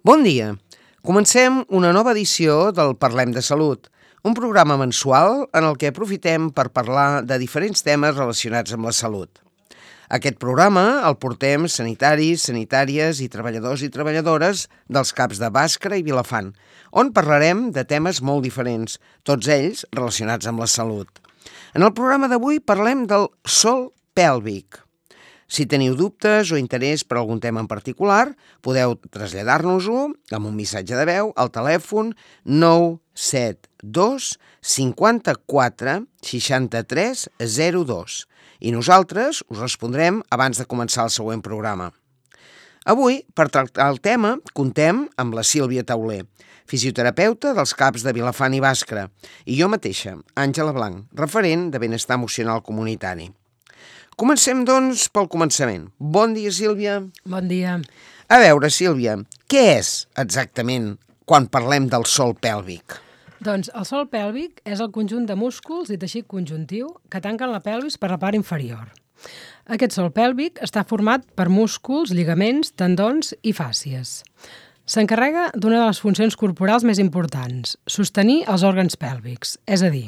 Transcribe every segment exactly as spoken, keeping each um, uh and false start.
Bon dia! Comencem una nova edició del Parlem de Salut, un programa mensual en el que aprofitem per parlar de diferents temes relacionats amb la salut. Aquest programa el portem sanitaris, sanitàries i treballadors i treballadores dels CAPs de Bàscara i Vilafant, on parlarem de temes molt diferents, tots ells relacionats amb la salut. En el programa d'avui parlem del sòl pèlvic. Si teniu dubtes o interès per algun tema en particular, podeu traslladar-nos-ho amb un missatge de veu al telèfon nou set dos cinquanta-quatre seixanta-tres zero dos i nosaltres us respondrem abans de començar el següent programa. Avui, per tractar el tema, contem amb la Sílvia Tauler, fisioterapeuta dels CAPs de Vilafant i Bàscara, i jo mateixa, Àngela Blanc, referent de benestar emocional comunitari. Comencem, doncs, pel començament. Bon dia, Sílvia. Bon dia. A veure, Sílvia, què és exactament quan parlem del sòl pèlvic? Doncs el sòl pèlvic és el conjunt de músculs i teixit conjuntiu que tanquen la pelvis per la part inferior. Aquest sòl pèlvic està format per músculs, lligaments, tendons i fàscies. S'encarrega d'una de les funcions corporals més importants, sostenir els òrgans pèlvics, és a dir,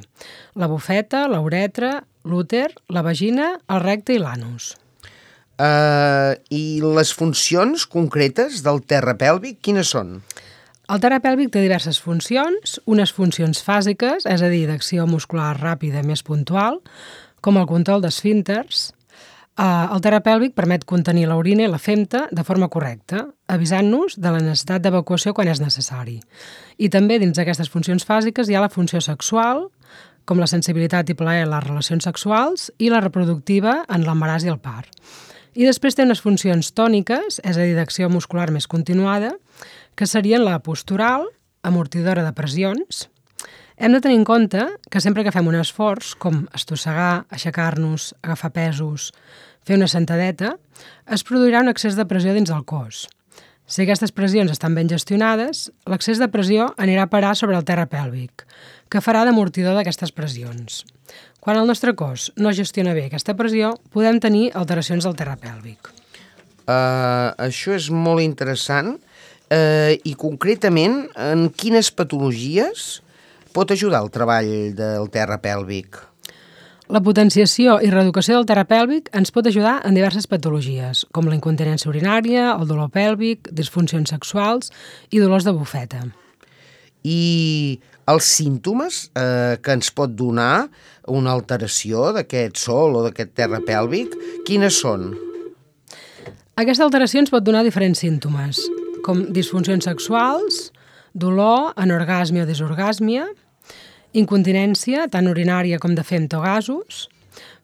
la bufeta, la uretra, l'úter, la vagina, el recte i l'anus. Uh, I les funcions concretes del terra pèlvic, quines són? El terra pèlvic té diverses funcions, unes funcions fàsiques, és a dir, d'acció muscular ràpida més puntual, com el control d'esfínters. Uh, el terra pèlvic permet contenir l'orina i la femta de forma correcta, avisant-nos de la necessitat d'evacuació quan és necessari. I també dins d'aquestes funcions fàsiques hi ha la funció sexual, com la sensibilitat i plaer en les relacions sexuals, i la reproductiva en l'embaràs i el part. I després té unes funcions tòniques, és a dir, d'acció muscular més continuada, que serien la postural, amortidora de pressions. Hem de tenir en compte que sempre que fem un esforç, com estossegar, aixecar-nos, agafar pesos, fer una sentadeta, es produirà un excés de pressió dins del cos. Si aquestes pressions estan ben gestionades, l'excés de pressió anirà a parar sobre el terra pèlvic, que farà d'amortidor d'aquestes pressions. Quan el nostre cos no gestiona bé aquesta pressió, podem tenir alteracions del terra pèlvic. Uh, això és molt interessant. Uh, I concretament, en quines patologies pot ajudar el treball del terra pèlvic? La potenciació i reeducació del terra pèlvic ens pot ajudar en diverses patologies, com la incontinència urinària, el dolor pèlvic, disfuncions sexuals i dolors de bufeta. I els símptomes eh, que ens pot donar una alteració d'aquest sòl o d'aquest terra pèlvic, quines són? Aquesta alteració ens pot donar diferents símptomes, com disfuncions sexuals, dolor, anorgàsmia o desorgàsmia, incontinència, tant urinària com de femta o gasos,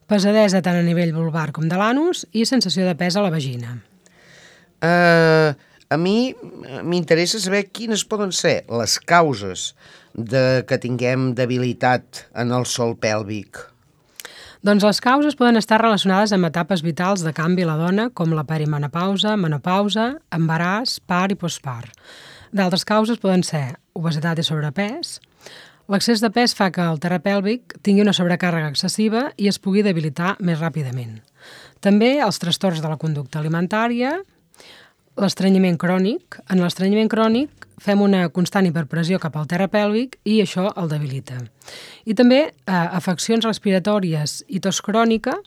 pesadesa tant a nivell vulvar com de l'anus i sensació de pes a la vagina. Uh, a mi m'interessa saber quines poden ser les causes de que tinguem debilitat en el sòl pèlvic. Doncs les causes poden estar relacionades amb etapes vitals de canvi a la dona, com la perimenopausa, menopausa, embaràs, part i postpart. D'altres causes poden ser obesitat i sobrepès. L'excés de pes fa que el terra pèlvic tingui una sobrecàrrega excessiva i es pugui debilitar més ràpidament. També els trastorns de la conducta alimentària, l'estrenyiment crònic. En l'estrenyiment crònic fem una constant hiperpressió cap al terra pèlvic i això el debilita. I també eh, afeccions respiratòries i tos crònica,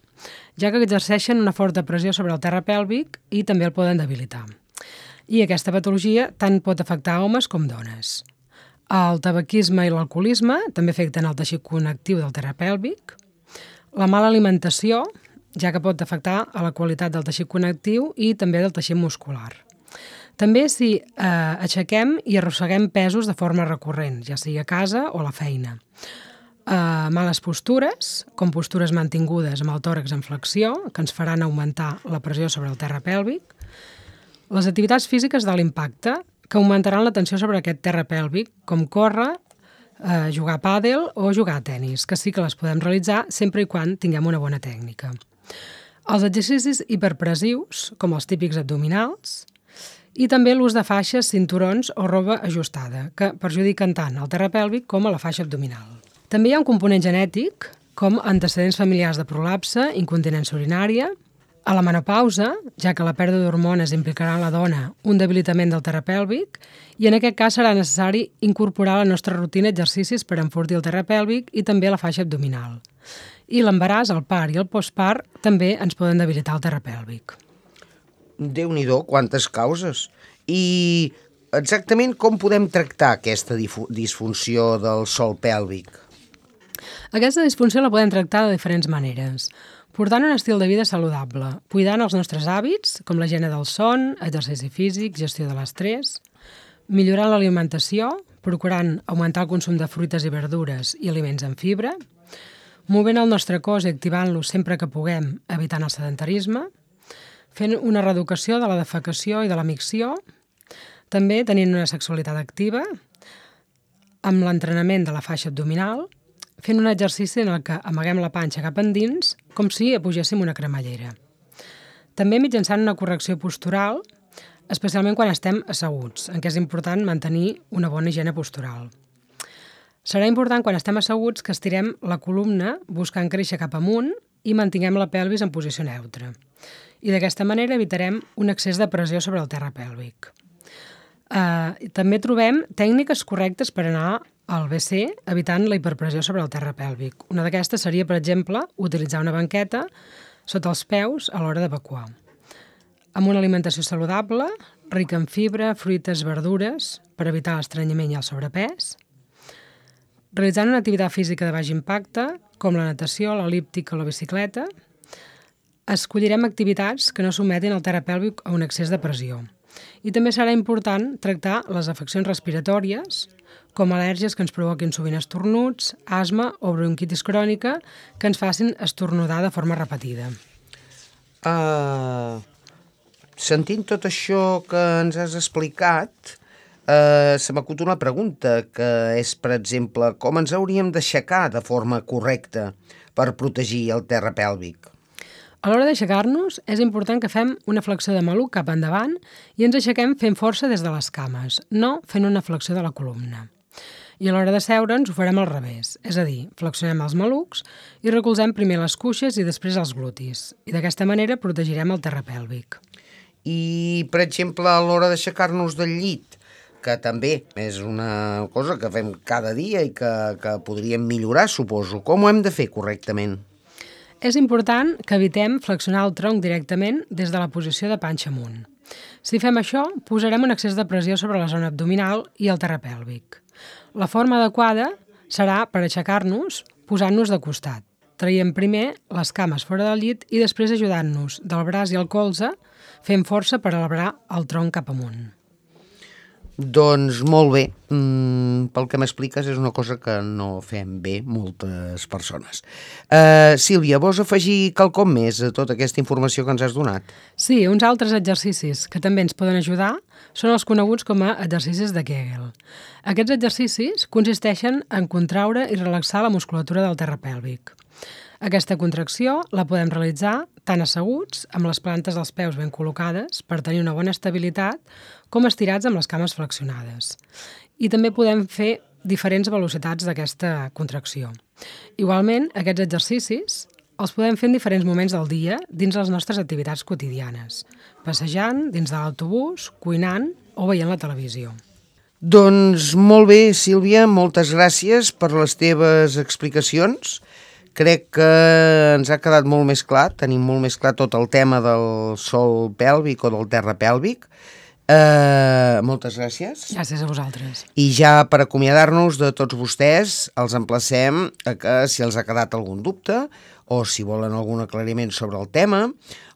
ja que exerceixen una forta pressió sobre el terra pèlvic i també el poden debilitar. I aquesta patologia tant pot afectar homes com dones. El tabaquisme i l'alcoholisme també afecten el teixit connectiu del terra pèlvic. La mala alimentació, ja que pot afectar a la qualitat del teixit connectiu i també del teixit muscular. També si eh, aixequem i arrosseguem pesos de forma recurrent, ja sigui a casa o a la feina. Eh, males postures, com postures mantingudes amb el tòrax en flexió, que ens faran augmentar la pressió sobre el terra pèlvic. Les activitats físiques de l'impacte, que augmentaran la tensió sobre aquest terra pèlvic, com córrer, eh, jugar a pàdel o jugar a tenis, que sí que les podem realitzar sempre i quan tinguem una bona tècnica. Els exercicis hiperpressius, com els típics abdominals, i també l'ús de faixes, cinturons o roba ajustada, que perjudiquen tant el terra pèlvic com a la faixa abdominal. També hi ha un component genètic, com antecedents familiars de prolapse, incontinència urinària, A la menopausa, ja que la pèrdua d'hormones implicarà en la dona un debilitament del terra pèlvic, i en aquest cas serà necessari incorporar a la nostra rutina exercicis per enfortir el terra pèlvic i també la faixa abdominal. I l'embaràs, el part i el postpart també ens poden debilitar el terra pèlvic. Déu-n'hi-do, quantes causes! I exactament com podem tractar aquesta disfunció del sòl pèlvic? Aquesta disfunció la podem tractar de diferents maneres. Portant un estil de vida saludable, cuidant els nostres hàbits, com la higiene del son, exercici físic, gestió de l'estrès, millorant l'alimentació, procurant augmentar el consum de fruites i verdures i aliments amb fibra, movent el nostre cos i activant-lo sempre que puguem, evitant el sedentarisme, fent una reeducació de la defecació i de la micció, també tenint una sexualitat activa, amb l'entrenament de la faixa abdominal, fent un exercici en el que amaguem la panxa cap endins, com si apugéssim una cremallera. També mitjançant una correcció postural, especialment quan estem asseguts, en què és important mantenir una bona higiene postural. Serà important quan estem asseguts que estirem la columna buscant créixer cap amunt i mantinguem la pelvis en posició neutra. I d'aquesta manera evitarem un excés de pressió sobre el terra pèlvic. Uh, també trobem tècniques correctes per anar al ve ce evitant la hiperpressió sobre el terra pèlvic. Una d'aquestes seria, per exemple, utilitzar una banqueta sota els peus a l'hora d'evacuar. Amb una alimentació saludable, rica en fibra, fruites, verdures, per evitar l'estrenyiment i el sobrepès. Realitzant una activitat física de baix impacte, com la natació, l'el·líptica o la bicicleta, escollirem activitats que no sometin el terra pèlvic a un excés de pressió. I també serà important tractar les afeccions respiratòries, com al·lèrgies que ens provoquin sovint estornuts, asma o bronquitis crònica que ens facin estornudar de forma repetida. Uh, sentint tot això que ens has explicat, uh, se m'acut una pregunta, que és, per exemple, com ens hauríem d'aixecar de forma correcta per protegir el terra pèlvic? A l'hora d'aixecar-nos, és important que fem una flexió de maluc cap endavant i ens aixequem fent força des de les cames, no fent una flexió de la columna. I a l'hora de seure'ns ho farem al revés, és a dir, flexionem els malucs i recolzem primer les cuixes i després els glutis. I d'aquesta manera protegirem el terra pèlvic. I, per exemple, a l'hora d'aixecar-nos del llit, que també és una cosa que fem cada dia i que, que podríem millorar, suposo, com ho hem de fer correctament? És important que evitem flexionar el tronc directament des de la posició de panxa amunt. Si fem això, posarem un excés de pressió sobre la zona abdominal i el terra pèlvic. La forma adequada serà, per aixecar-nos, posant-nos de costat, traient primer les cames fora del llit i després ajudant-nos del braç i el colze, fent força per elevar el tronc cap amunt. Doncs molt bé, mm, pel que m'expliques és una cosa que no fem bé moltes persones. Uh, Sílvia, vols afegir quelcom més a tota aquesta informació que ens has donat? Sí, uns altres exercicis que també ens poden ajudar són els coneguts com a exercicis de Kegel. Aquests exercicis consisteixen en contraure i relaxar la musculatura del terra pèlvic. Aquesta contracció la podem realitzar tant asseguts, amb les plantes dels peus ben col·locades per tenir una bona estabilitat, com estirats amb les cames flexionades. I també podem fer diferents velocitats d'aquesta contracció. Igualment, aquests exercicis els podem fer en diferents moments del dia dins les nostres activitats quotidianes, passejant, dins de l'autobús, cuinant o veient la televisió. Doncs molt bé, Sílvia, moltes gràcies per les teves explicacions. Crec que ens ha quedat molt més clar, tenim molt més clar tot el tema del sòl pèlvic o del terra pèlvic. Uh, moltes gràcies. Gràcies a vosaltres. I ja per acomiadar-nos de tots vostès, els emplacem a que si els ha quedat algun dubte o si volen algun aclariment sobre el tema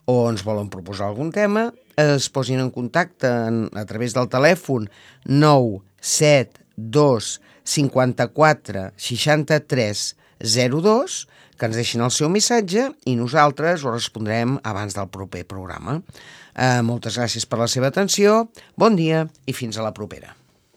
o ens volen proposar algun tema, es posin en contacte en, a través del telèfon nou set dos cinquanta-quatre seixanta-tres zero dos, que ens deixin el seu missatge i nosaltres ho respondrem abans del proper programa. Eh, moltes gràcies per la seva atenció, bon dia i fins a la propera.